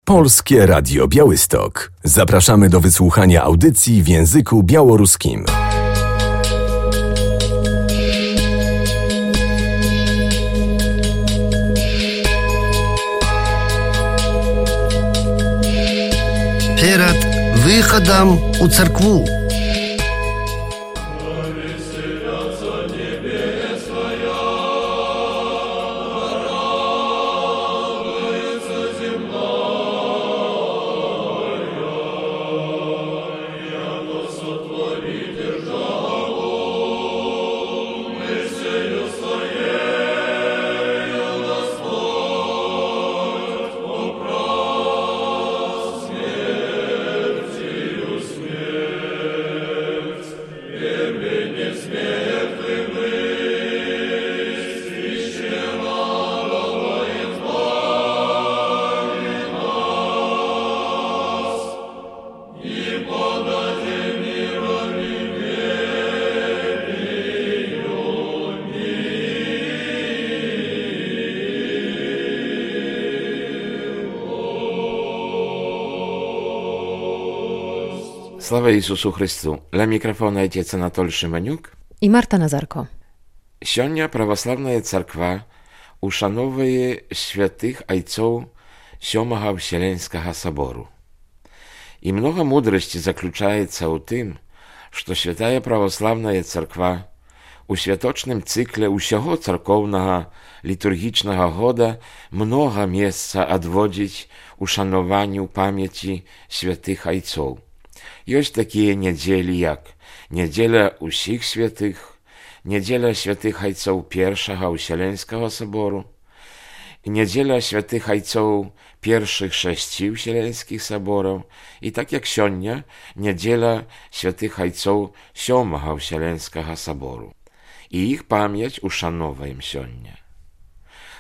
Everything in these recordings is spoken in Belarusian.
Polskie Radio Białystok. Zapraszamy do wysłuchania audycji w języku białoruskim. Перед выходом у церкву. Слава Ісусу Христу! Ля мікрафона отец Анатоль Шиманюк і Марта Назарко. Сёння праваслаўная царква ушановвае святых айцоў Сёмага Вселенскага сабору. І многа мудрасці заключаецца ў тым, што святая праваслаўная царква у святочным цыкле ўсяго царкоўнага літургічнага года многа месца адводзіць ушанаванню памяці святых айцоў. Ёсць такія нядзелі, як нядзеля ўсіх святых, нядзеля святых айцоў першага Вселенскага сабору, нядзеля святых айцоў першых 6 Вселенскіх сабораў і так як сёння нядзеля святых айцоў 7 Вселенскага сабору. І іх памяць ушановваем сёння.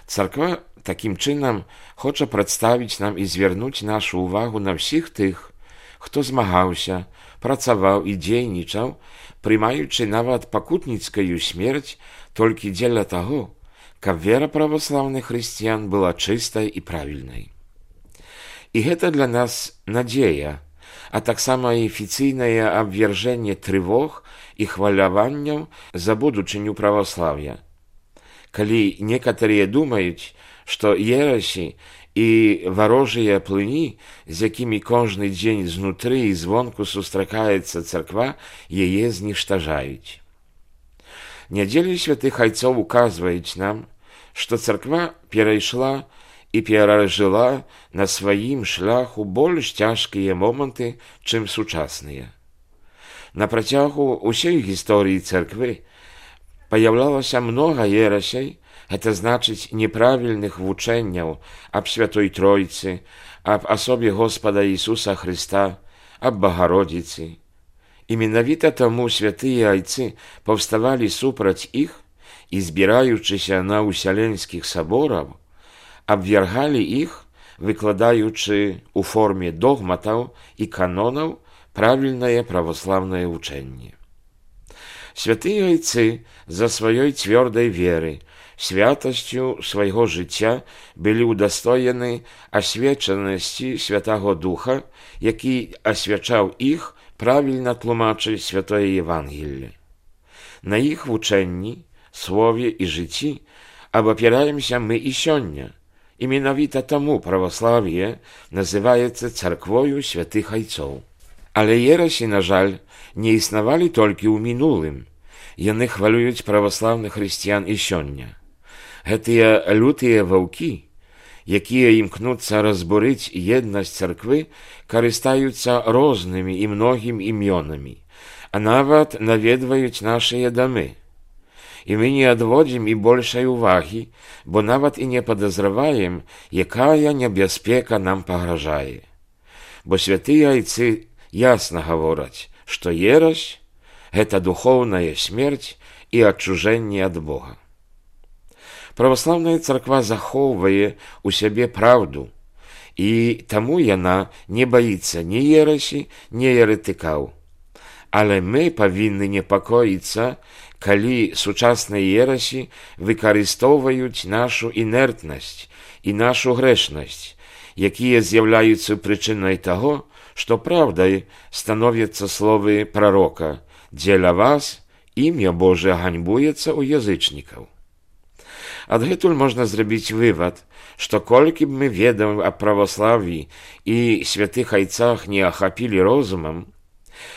Царква такім чынам хоча прадставіць нам і звярнуць нашу ўвагу на ўсіх тых, хто змагаўся, працаваў і дзейнічаў, прымаючы нават пакутніцкую смерць толькі дзеля таго, каб вера праваслаўных хрысціян была чыстай і правільнай. І гэта для нас надзея, а таксама і афіцыйнае абвяржэнне трывог і хваляванняў за будучыню праваслаўя. Калі некаторыя думаюць, што ерасі і варожыя плыні, з якімі кожны дзень знутры і звонку сустракаецца царква, яе зніштажаюць. Нядзеля святых айцоў указваюць нам, што царква перайшла і перажыла на сваім шляху больш цяжкія моманты, чым сучасныя. На працягу ўсёй гісторыі царквы паяўлялася многа ерасей, гэта значыць неправільных вучэнняў аб Святой Тройцы, аб асобе Господа Ісуса Хрыста, аб Багародзіцы. І менавіта таму святыя айцы паўставалі супраць іх і, збіраючыся на ўсяленскіх сабораў, абвяргалі іх, выкладаючы ў форме догматаў і канонаў правільнае праваслаўнае вучэнне. Святыя айцы за сваёй цвёрдай веры, святасцю свайго жыцця былі ўдастоены асвечанасці Святаго Духа, які асвячаў іх правільна тлумачыць святое Евангелле. На іх вучэнні, слове і жыцці абапіраемся мы і сёння, і менавіта таму праваслаўе называецца царквою святых айцоў. Але ерасі, на жаль, не існавалі толькі ў мінулым. Яны хвалююць праваслаўных хрысціян і сёння. Гэтыя лютыя ваўкі, якія імкнуцца разбурыць еднасць царквы, карыстаюцца рознымі і многім імёнамі, а нават наведваюць нашыя дамы. І мы не адводзім і большай увагі, бо нават і не падазраваем, якая небяспека нам пагражае. Бо святыя айцы ясна гавораць, што ерась – гэта духоўная смерць і адчужэнне ад Бога. Праваслаўная царква захоўвае ў сябе праўду, і таму яна не баіцца ні ерасі, ні еретыкаў. Але мы павінны непакоіцца, калі сучасныя ерасі выкарыстоўваюць нашу інертнасць і нашу грэшнасць, якія з'яўляюцца прычынай таго, што праўдай становяцца словы прарока: «Дзеля вас імя Божае ганьбуецца ў язычнікаў». Адгэтуль можна зрабіць вывад, што колькі б мы ведаў аб праваславі і святых айцах не ахапілі розумам,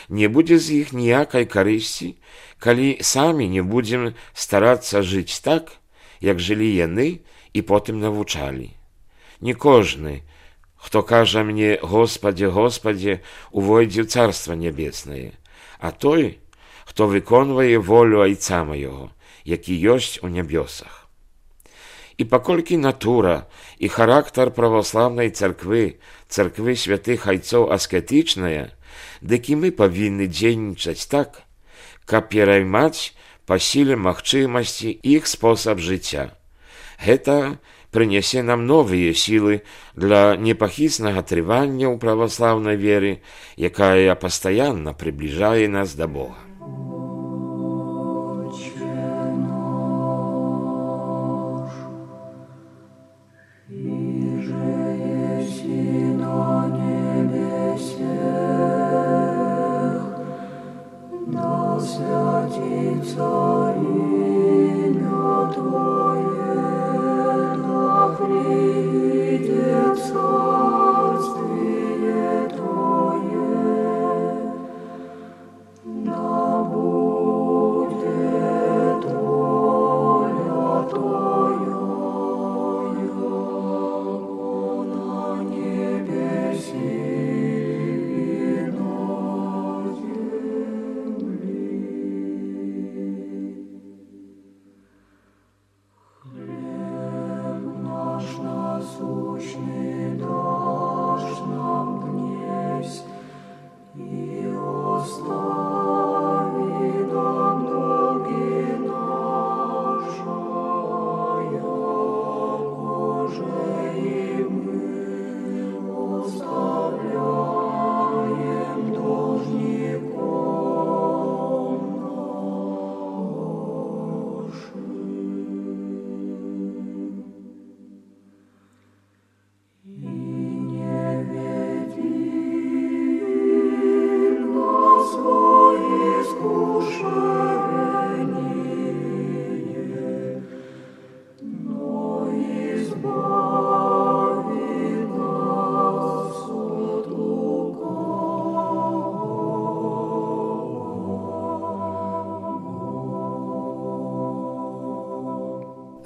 не будзе з іх ніякай карысці, калі самі не будзем старацца жыць так, як жылі яны і потым навучалі. Не кожны, хто кажа мне «Господи, Господи», увойдзе ў Царства Нябеснае, а той, хто выконвае волю Айца маёго, які ёсць у нябёсах. І паколькі натура і характар праваслаўнай царквы, царквы святых айцоў аскетычная, дык і мы павінны дзейнічаць так, каб пераймаць па сіле магчымасці іх спосаб жыцця. Гэта прынясе нам новыя сілы для непахіснага трывання ў праваслаўнай веры, якая пастаянна прыбліжае нас да Бога.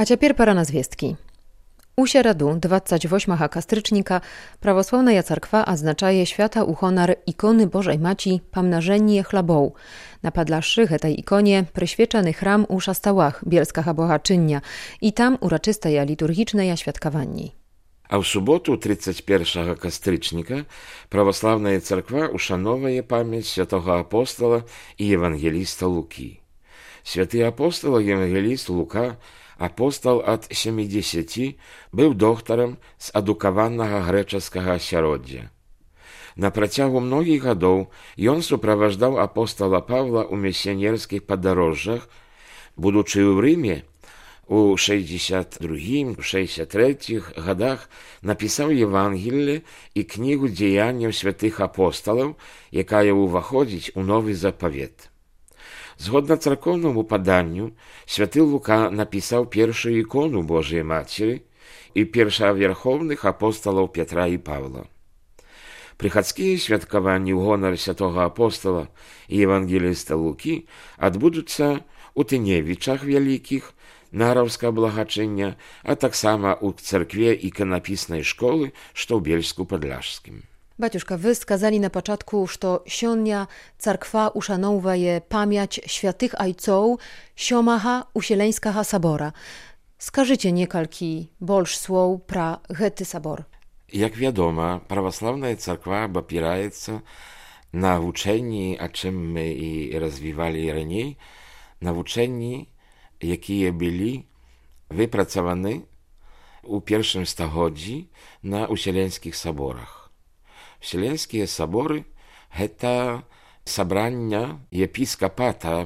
A цяпер пара на звесткі. У сераду, 28 кастрычніка, праваслаўная царква адзначае свята ў хонар іконы Божай Маці Памнажэнне хлабоў. На падлашшы гэтай іконе прысвечаны храм у Шастałach Bielskага Богачыння і там урачыстае літургічнае святкаванне. А ў суботу, 31 кастрычніка, праваслаўная царква ушановае памяць святога апостала і евангеліста Лукі. Святы апостол і евангеліст Лука, апостол ад 70, быў доктарам з адукаванага грэчаскага асяроддзя. На працягу многіх гадоў ён суправаждаў апостола Павла ў місіянерскіх падарожжах, будучы ў Рыме, у 62-63 гадах напісаў Евангелле і кнігу дзеянняў святых апосталаў, якая ўваходзіць у новы запавет. Згодна царкоўнаму паданню, святы Лука напісаў першую ікону Божай Мацеры і першавярхоўных апосталаў Петра і Павла. Прыхадскія святкаванні ў гонар святога апостола і евангеліста Лукі адбудуцца ў Тыневічах вялікіх, Нараўскага благачыння, а таксама ў царкве іканапіснай школы, што ў Бельску-Падляшскім. Baciuszka, wy skazali na początku, że sionia cerkwa uszanowuje pamięć świętych ojców Siomaha Usieleńskiego Sabora. Skażycie niekalki больш słów pra гэты sabor. Jak wiadomo, prawosławna cerkwa opieraється na uczeni, a czym my i rozwijali raniej, na uczeni, jakie byli wypracowane u pierwszym stagodzi na usieleńskich saborach. Wsieleńskie sabory to sabrania episkopata,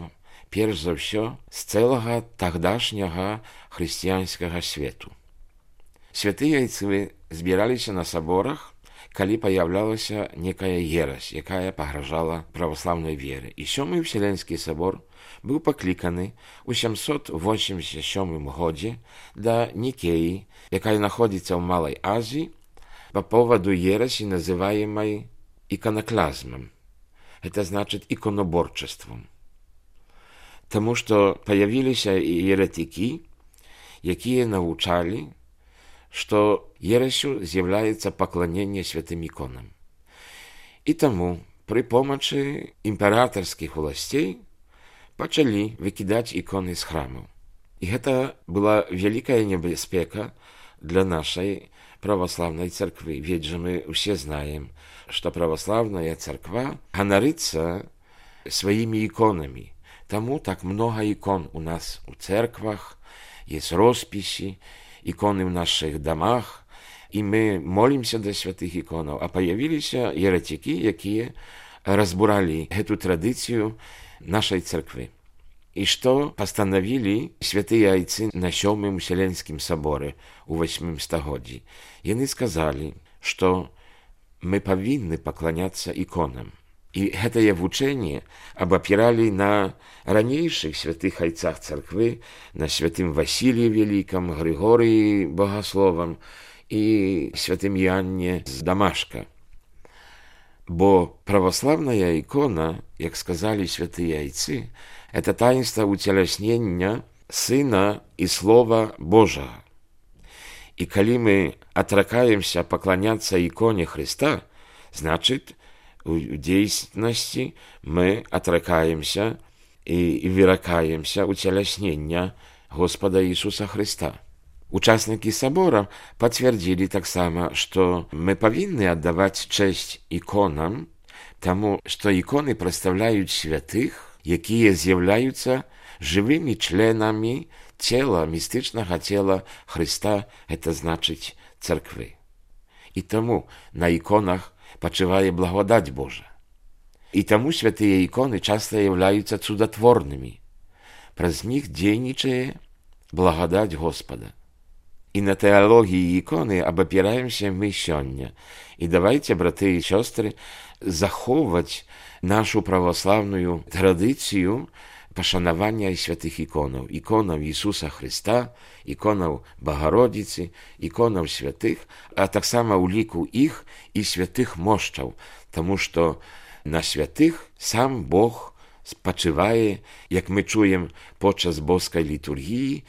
pierwsze za wszystko z całego тогдашнего chrześcijańskiego świata. Święty ojcy збіраліся на саборах, калі паяўлялася некая ерась, якая пагражала праваслаўнай веры. І сёмы Вселенскі сабор быў пакліканы ў 787 годзе да Нікеі, якая находзіцца ў Малай Азіі, по поводу ересі, называемой иконоклазмом. Это значит иконоборчеством. Тому что появились еретики, якія навучали, что ересью з'является поклонение святым иконам. И тому при помощи императорских властей пачалі выкидать иконы з храмаў. И это была великая небяспека для нашей православной церкви. Ведь же мы все знаем, что православная церква ганарится своими иконами. Тому так много икон у нас у церквах, есть росписи, иконы в наших домах, и мы молимся до святых иконов. А появились еретики, якія разбурали эту традицию нашей церкви. И что постановили святые отцы на Сьомым Вселенскім соборе у 8 стагоддзі? Яны сказали, что мы повинны поклоняться иконам. И это вучение обопирали на ранейших святых отцах церкви, на святым Василии Великом, Григории Богословом и святым Иоанне з Дамашка. Бо православная икона, як сказали святые отцы, это таинство утелеснения Сына и Слова Божьего. И коли мы отрекаемся поклоняться иконе Христа, значит, в действительности мы отрекаемся и вырекаемся утелеснения Господа Иисуса Христа. Участники собора подтвердили так само, что мы повинны отдавать честь иконам, тому, что иконы представляют святых, якія з'являються живими членами тела, містичного тела Христа, это значить церкви. І тому на іконах почиває благодать Божа. І тому святые иконы часто являются чудотворными. През них дейничає благодать Господа. И на теологии иконы обопираемся мы сёння. И давайте, браты и сестры, заховывать нашу православную традицию пошанования святых иконов. Иконов Иисуса Христа, иконов Богородицы, иконов святых, а так само улику их и святых мощов, тому что на святых сам Бог спочиває, як ми чуємо подчас боской литургии,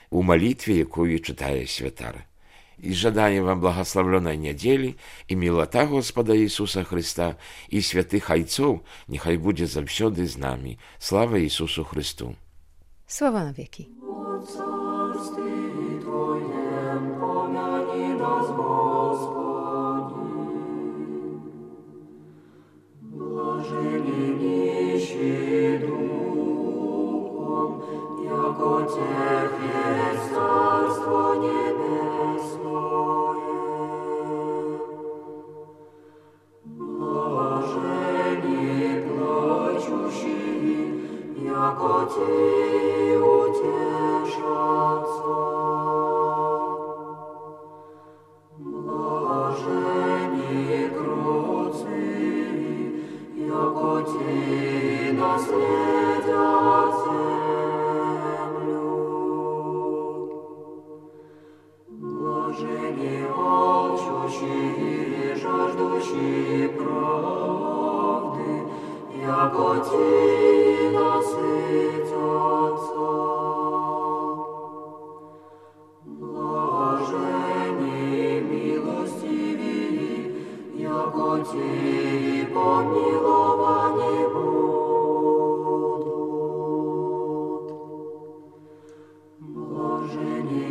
у молитве, якую читає святар. И жадаем вам благословленной недели, и милота Господа Иисуса Христа, и святых отцов, нехай будет завсёды з нами. Слава Иисусу Христу! Sława na wieki.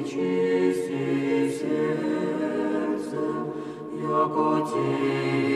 Чисти сердцем, яко Ти